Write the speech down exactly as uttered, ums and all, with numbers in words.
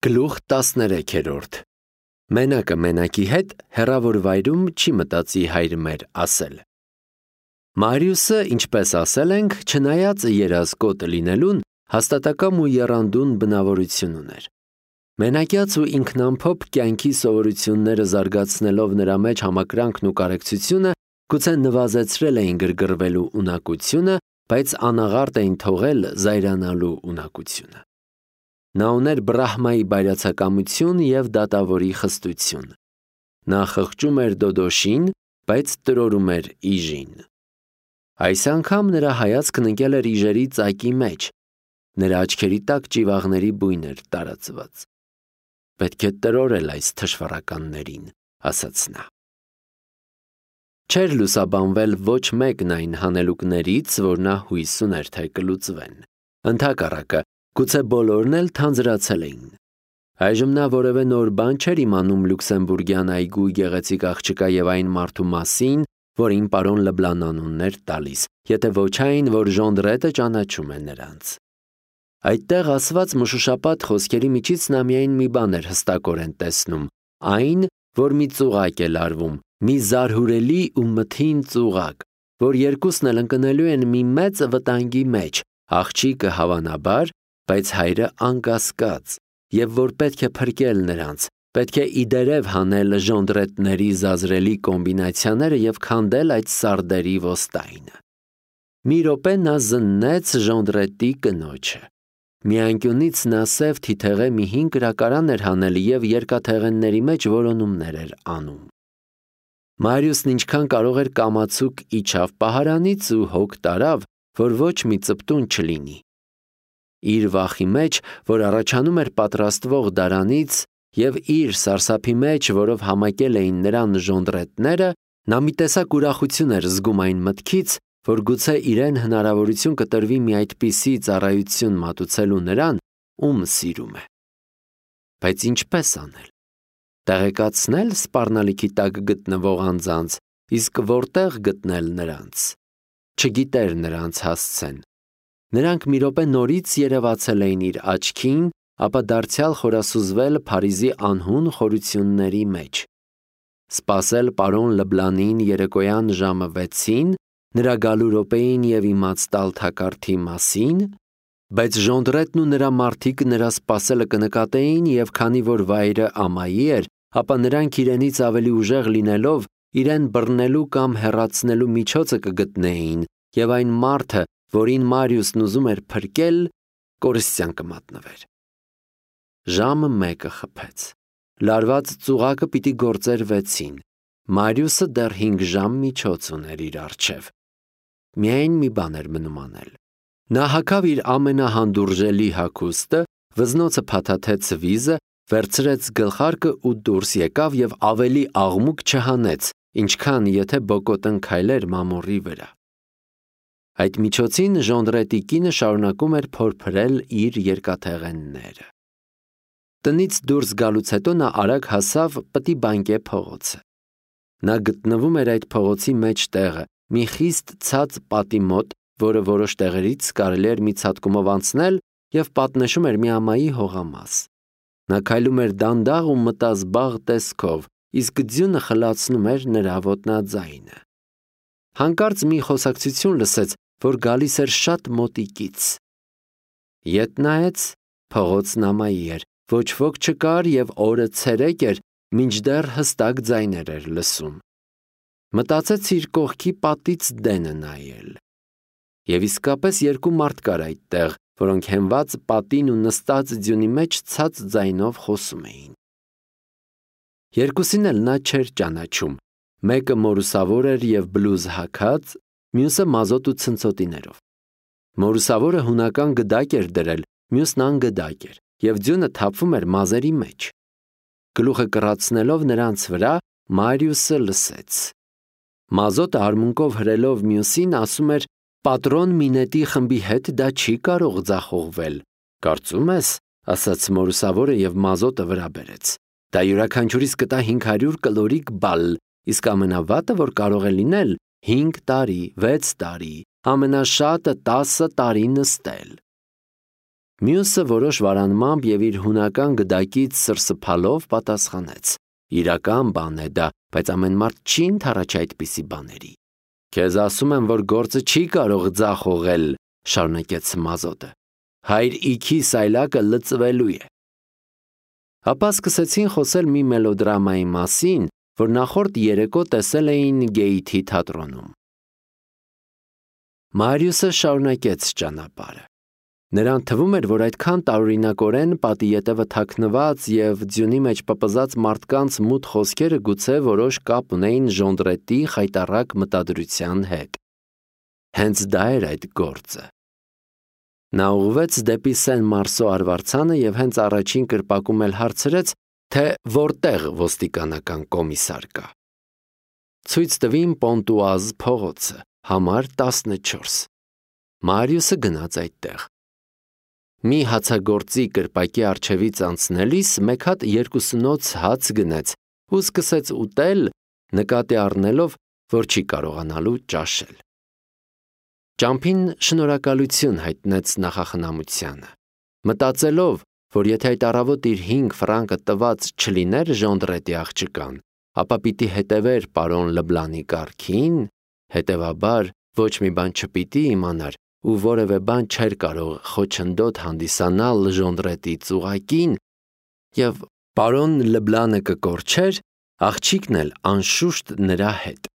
Գլուխ տասներեքերորդ Մենակը մենակի հետ հեռավոր վայրում չի մտածի հայր մեր ասել։ Մարիուսը, ինչպես ասել ենք, չնայած երազկոտ լինելուն, հաստատակամ ու եռանդուն բնավորություն ուներ։ Մենակյաց ու ինքնամփոփ կյանքի սովորությունները զարգացնելով նրա մեջ համակրանքն ու կարեկցությունը, գուցե նվազեցրել էին գրգռվելու ունակությունը, բայց անաղարտ էին թողել զայրանալու ունակությունը։ Նա ուներ Բրահմայի բայրացակամություն և դատավորի խստություն։ Նա խղճում էր Դոդոշին, բայց տրորում էր Իժին։ Այս անգամ նրա հայացքն ընկել էր Իժերի ծակի մեջ։ Նրա աչքերի տակ ճիվաղների բույն էր տարածված։ Պետք է տրորել այս թշվառականներին, ասաց նա։ Չէր լուսաբանվել ոչ մեկն այն հանելուկներից, որ նա հույս ուներ, թե կլուծվեն։ Ընդհակառակը, գուցե բոլորն էլ թանձրացել էին։ Այժմ նա որևէ նոր բան չէր իմանում Լյուքսեմբուրգյան այգու գեղեցիկ աղջկա և այն մարդու մասին, որին պարոն Լեբլան անունն էր տալիս, եթե ոչ այն, որ Ժոնդրետը ճանաչում է նրանց։ Այդտեղ ասված մշուշապատ խոսքերի միջից նա միայն մի բան էր հստակորեն տեսնում, այն, որ մի ծուղակ է լարվում, մի զարհուրելի ու մթին ծուղակ, որ երկուսն էլ ընկնելու են մի մեծ վտանգի մեջ, աղջիկը հավանաբար, բայց հայրը անկասկած, և որ պետք է փրկել նրանց, պետք է իդերև հանել ժոնդրետների զազրելի կոմբինացիաները և քանդել այդ սարդերի ոստայնը։ Մի րոպե նա զննեց Ժոնդրետի կնոջը։ Մի անկյունից նա սև թիթեղե մի հին կրակարան էր հանել և երկաթեղենների մեջ որոնումներ էր անում։ Մարիուսն ինչքան կարող էր կամացուկ իջավ պահարանից ու հոգ տարավ, որ ոչ մի ծպտուն չլինի։ Իր վախի մեջ, որ առաջանում էր պատրաստվող դարանից, և իր սարսափի մեջ, որով համակել էին նրան ժոնդրետները, նա մի տեսակ ուրախություն էր զգում այն մտքից, որ գուցե իրեն հնարավորություն կտրվի մի այդպիսի ծառայություն մատուցելու նրան, ում սիրում է։ Բայց ինչպես անել։ Տեղեկացնել սպառնալիքի տակ գտնվող անձանց, իսկ որտեղ գտնել նրանց։ Չգիտեր նրանց հասցեն։ Նրանք մի րոպե նորից երևացել էին իր աչքին, ապա դարձյալ խորասուզվել Փարիզի անհուն խորությունների մեջ։ Սպասել պարոն Լեբլանին երեկոյան ժամը վեցին, նրա գալու րոպեին և իմաց տալ թակարդի մասին, բայց Ժոնդրետն ու նրա մարդիկ նրա սպասելը կնկատեին և քանի որ վայրը ամայի էր, ապա նրանք իրենից ավելի ուժեղ լինելով իրեն բռնելու կամ հեռացնելու միջոցը կգտնեին և այն մարդը, որին Մարիուսն ուզում էր փրկել, կորստյան կմատնվեր։ Ժամը մեկը խփեց։ Լարված ծուղակը պիտի գործեր վեցին։ Մարիուսը դեռ հինգ ժամ միջոց ուներ իր առջև։ Միայն մի բան էր մնում անել։ Նա հագավ իր ամենահանդուրժելի հագուստը, վզնոցը փաթաթեց վիզը, վերցրեց գլխարկը ու դուրս եկավ և ավելի աղմուկ չհանեց, ինչքան եթե բոկոտն քայլեր մամուռի վրա։ Այդ միջոցին Ժոնդրետի կինը շարունակում էր փորփրել իր երկաթեղենները։ Տնից դուրս գալուց հետո նա արագ հասավ Պտի Բանկե փողոցը։ Նա գտնվում էր այդ փողոցի մեջտեղը, մի խիստ ցած պատի մոտ, որը որոշ տեղերից կարելի էր մի ցատկումով անցնել և պատնեշում էր մի ամայի հողամաս։ Նա քայլում էր դանդաղ ու մտազբաղ տեսքով, իսկ ձյունը խլացնում էր նրա ոտնաձայնը։ Հանկարծ մի խոսակցություն լսեց, որ գալիս էր շատ մոտիկից։ Ետ նայեց, փողոցն ամայի էր, ոչ ոք չկար և օրը ցերեկ էր, մինչդեռ հստակ ձայներ էր լսում։ Մտածեց իր կողքի պատից դենը նայել։ Եվ իսկապես երկու մարդ կար այդտեղ, որոնք հենված պատին ու նստած ձյունի մեջ ցած ձայնով խոսում էին։ Երկուսին էլ նա չէր ճանաչում, մեկը մորուսավոր էր և բլուզ հագած, մյուսը մազոտ ու ցնցոտիներով։ Մորուսավորը հունական գդակ էր դրել, մյուսն անգդակ էր, և ձյունը թափվում էր մազերի մեջ։ Գլուխը կռացնելով նրանց վրա, Մարիուսը լսեց։ Մազոտը արմունկով հրելով մյուսին ասում էր. «Պատրոն Մինետի խմբի հետ դա չի կարող ձախողվել»։ «Կարծում ես», ասաց մորուսավորը և մազոտը վրա բերեց։ «Դա յուրաքանչյուրիս կտա հինգ հարյուր կլորիկ բալ, իսկ ամենավատը, որ կարող է լինել, հինգ տարի, վեց տարի, ամենաշատը տասը տարի նստել»։ Մյուսը որոշ վարանմամբ եւ իր հունական գդակից սրսփալով պատասխանեց. Իրական բան է դա, բայց ամեն մարդ չի ընդառաջ այդպիսի բաների։ Քեզ ասում եմ, որ գործը չի կարող ձախողել, շարունակեց Մազոտը։ Հայր իքի սայլակը լծվելու է։ Ապա սկսեցին խոսել մի մելոդրամայի մասին, որ նախորդ երեկո տեսել էին Գեյթի թատրոնում։ Մարիուսը շարունակեց ճանապարհը։ Նրան թվում էր, որ այդքան տարօրինակորեն պատի ետևը թաքնված եւ ձյունի մեջ պպզած մարդկանց մութ խոսքերը գուցե որոշ կապ ունեին Ժոնդրետի խայտառակ մտադրության հետ։ Հենց դա էր այդ գործը։ Նա ուղղվեց դեպի Սեն-Մարսո արվարձանը եւ հենց առաջին կրպակում էլ հարցրեց, թե որտեղ ոստիկանական կոմիսար կա։ Ցույց տվին Պոնտուազ փողոցը, համար տասնչորս։ Մարիուսը գնաց այդտեղ։ Մի հացագործի կրպակի առջևից անցնելիս մեկ հատ երկուսնոց հաց գնեց ու սկսեց ուտել, նկատի առնելով, որ չի կարողանալու ճաշել։ Ճամփին շնորհակալություն հայտնեց նախախնամությանը, մտածելով, որ եթե այդ առավոտ իր հինգ ֆրանկը տված չլիներ Ժոնդրետի աղջկան, ապա պիտի հետևեր պարոն Լբլանի կարգին, հետևաբար ոչ մի բան չպիտի իմանար ու որևէ բան չէր կարող խոչընդոտ հանդիսանալ Ժոնդրետի ծուղակին, եւ պարոն Լբլանը կկորչեր, աղջիկն էլ անշուշտ նրա հետ։